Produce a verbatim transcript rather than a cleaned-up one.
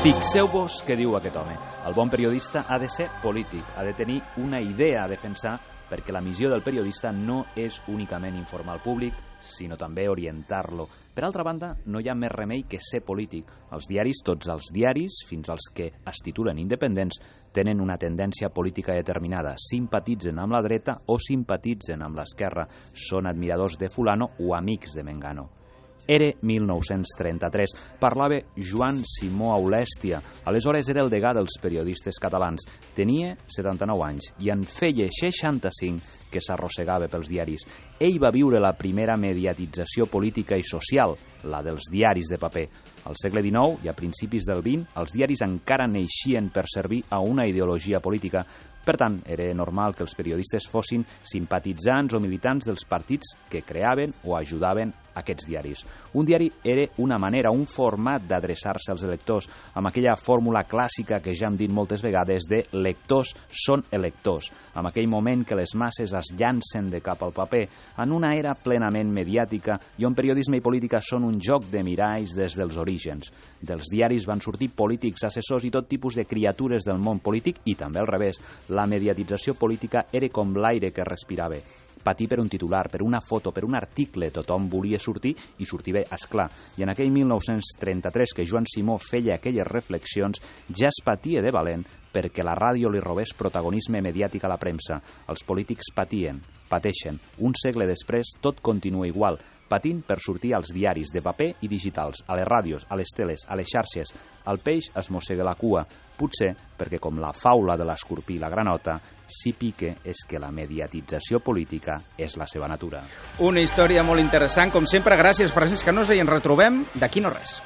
Fixeu-vos què diu aquest home. El bon periodista ha de ser polític, ha de tenir una idea a defensar, perquè la missió del periodista no és únicament informar el públic, sinó també orientar-lo. Per altra banda, no hi ha més remei que ser polític. Els diaris, tots els diaris, fins als que es titulen independents, tenen una tendència política determinada. Simpatitzen amb la dreta o simpatitzen amb l'esquerra. Són admiradors de fulano o amics de Mengano. Era mil nou-cents trenta-tres. Parlava Joan Simó Aulèstia. Aleshores era el degà dels periodistes catalans. Tenia setanta-nou anys i en feia seixanta-cinc que s'arrossegava pels diaris. Ell va viure la primera mediatització política i social, la dels diaris de paper. Al segle dinou i a principis del vint, els diaris encara neixien per servir a una ideologia política. Per tant, era normal que els periodistes fossin simpatitzants o militants dels partits que creaven o ajudaven aquests diaris. Un diari era una manera, un format d'adreçar-se als lectors, amb aquella fórmula clàssica que ja hem dit moltes vegades de lectors són electors, amb aquell moment que les masses es llancen de cap al paper, en una era plenament mediàtica i on periodisme i política són un joc de miralls des dels orígens. Dels diaris van sortir polítics, assessors i tot tipus de criatures del món polític i també al revés. La mediatització política era com l'aire que respirava. Patir per un titular, per una foto, per un article, tothom volia sortir i sortir bé, esclar. I en aquell mil nou-cents trenta-tres que Joan Simó feia aquelles reflexions, ja es patia de valent perquè la ràdio li robés protagonisme mediàtic a la premsa. Els polítics patien, pateixen. Un segle després tot continua igual, patint per sortir als diaris de paper i digitals, a les ràdios, a les teles, a les xarxes. El peix es mossega la cua, potser perquè com la faula de l'escorpí i la granota, si pique és que la mediatització política és la seva natura. Una història molt interessant, com sempre. Gràcies, Francesc Canosa, i ens retrobem d'aquí no res.